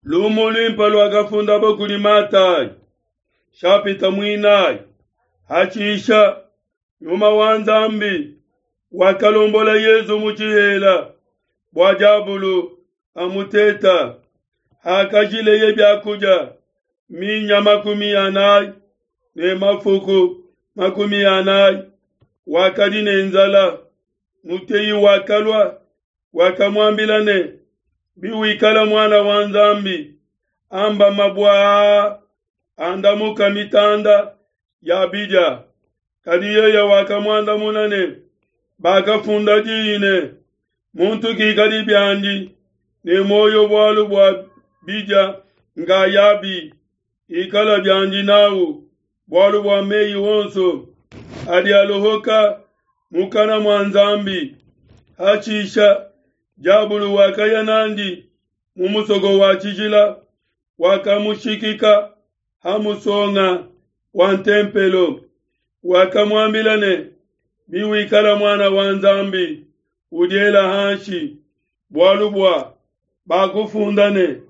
Lumu luimpe luakafundabo kudi Matayi, shapita muinayi. Hatshisha, Nyuma wa Nzambi wakalombola Yezu mu tshihela bua diabulu amuteta. Hakajileye biakudia minya 40 ne mafuku 40, wakadi ne nzala. Muteyi wakalua, wakamuambila ne, Biwikala muana wa Nzambi, amba mabue aa andamuka mitanda ya bidia. Kadi yeye wakamuandamuna ne, Bakafunda diyi ne, Muntu kikadi biandi ne muoyo bualu bua bidia nkayabi, ikala biandi nawu bualu bua meyi onso adi alohoka mukana mua Nzambi. Hashisha diabulu wakaya nandi mu musoko wa tshijila, wakamushikika ha musonga wa ntempelo, wakamuambila ne, Biwikala muana wa Nzambi, udiela hanshi, bualu bua bakufunda ne,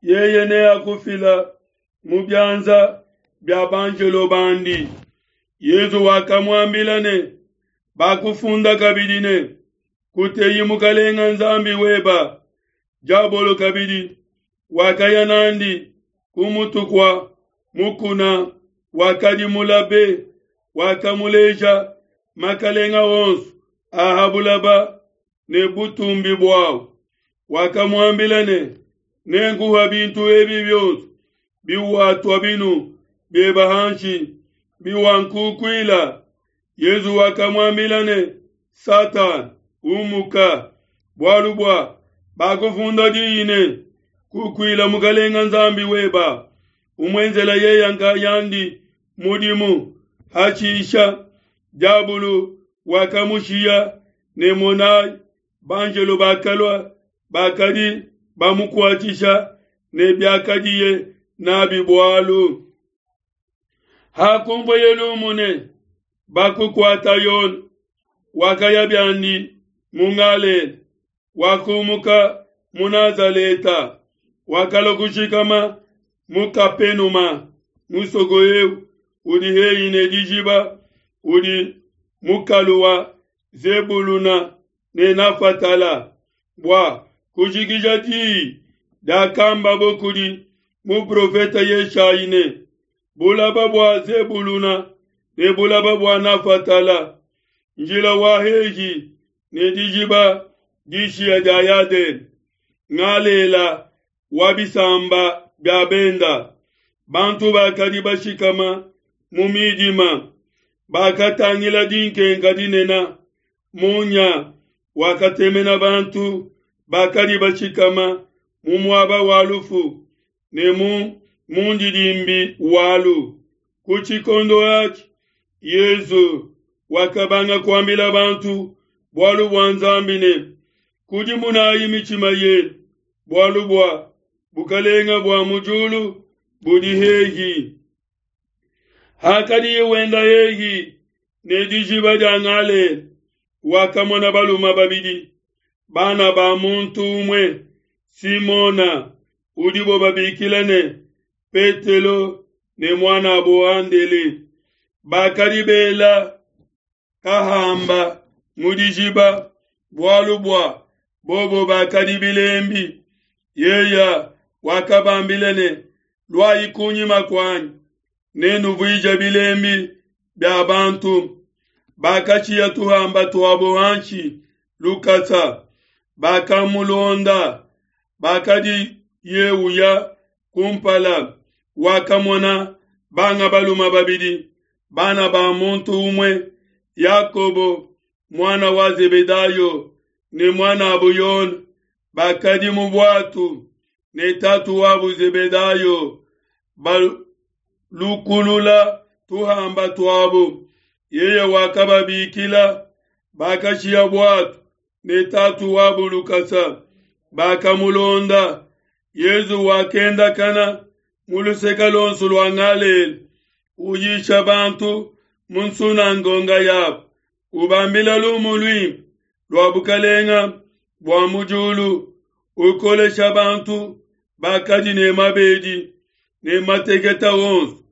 Yeye neakufila mu bianza bia banjelo bandi. Yezu wakamuambila ne, Bakufunda kabidi ne, Kuteyi Mukalenga Nzambi weba. Diabolo kabidi wakaya nandi ku mutu kua mukuna wakadi mulabe, wakamuleja makalenga onso a ha bulaba ne butumbi buawu. Wakamuambila ne, Nenkuha bintu ebi bionso biwatua binu bieba hanshi, biwankukuila. Yezu wakamuambila ne, Satana, umuka, bualu bua bakufunda diyi ne, Kukuila Mukalenga Nzambi weba, umuenzela yeya nkayandi mudimu. Hashisha diabulu wakamushiya, ne monai, banjelo bakalua bakadi bamukuatshisha ne biakadiye nabi bualu. Hakunvueye lumu ne, Bakukuata Yone, wakaya biandi mu Galela, wakumuka mu Nazaleta, wakalua kushikama mu Kapenuma, musoko eu udi hehi ne dijiba, udi mukalu wa Zebuluna ne Nafatala, bua kujikija diyi diakambabo kudi muprofete Yeshayi ne, Bulaba bua Zebuluna ne bulaba bua Nafatala, njila wa hehi ne dijiba dishiya dia Yadene, Ngalela wa bisamba bia benda, bantu bakadi bashikama mu midima bakatangila dinkenka dinene, munya wakatemena bantu bakadi bashikama mu muaba wa lufu ne mu mundidimbi walu. Ku tshikondo atshi Yezu wakabanga kuambila bantu bualu bua Nzambi ne, Kudimunayi mitshima yenu, bualu bua bukalenga bua mu diulu budi hehi. Hakadiye wenda hehi ne dijiba dia Galela, wakamona balume babidi, bana ba muntu umue, Simona udibo babikila ne Petelo ne muanabo Andele, bakadi bela kahamba mu dijiba, bualu bua bobo bakadi bilembi. Yeya wakabambila ne, Luayi kunyima kuanyi, nenuvuije bilembi bia bantu. Bakashiya tuhamba tuabo hanshi lukasa, bakamulonda. Bakadiye uya kumpala, wakamona banga balume babidi, bana ba muntu umue, Yakobo muana wa Zebedayo ne muanabo Yone, bakadi mu buatu ne tatu wabo Zebedayo, balukulula tuhamba tuabo. Yeye wakababikila, bakashiya buatu ne tatu wabo lukasa, bakamulonda. Yezu wakendakana mu luseke luonso lua Galela, uyisha bantu mu nsunangonga yabo, ubambila lumu luimpe lua bukalenga bua mu diulu, ukolesha bantu. bakadi ne mabedi ne mateketa onso.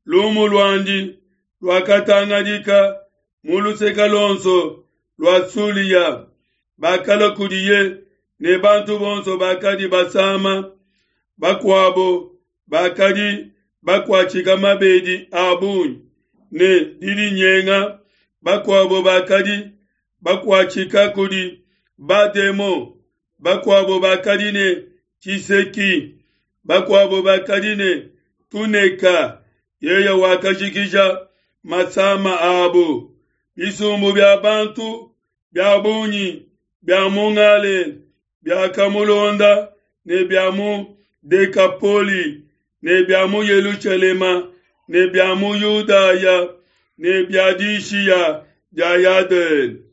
Lumu luandi luakatangadika mu luseke luonso lua Sulia. Bakalua kudiye ne bantu bonso bakadi basama, bakuabo bakadi bakuatshika mabedi a bungi ne didinyenga, bakuabo bakadi bakuatshika kudi bademon, bakuabo bakadi ne tshiseki, bakuabo bakadi ne tuneka. Yeye wakajikija masama abo. Bisumbu bia bantu bia bungi bia mu Galela biakamulonda ne bia mu Dekapoli ne bia mu Yelushalema ne bia mu Yudaya ne bia dishiya dia Yadene.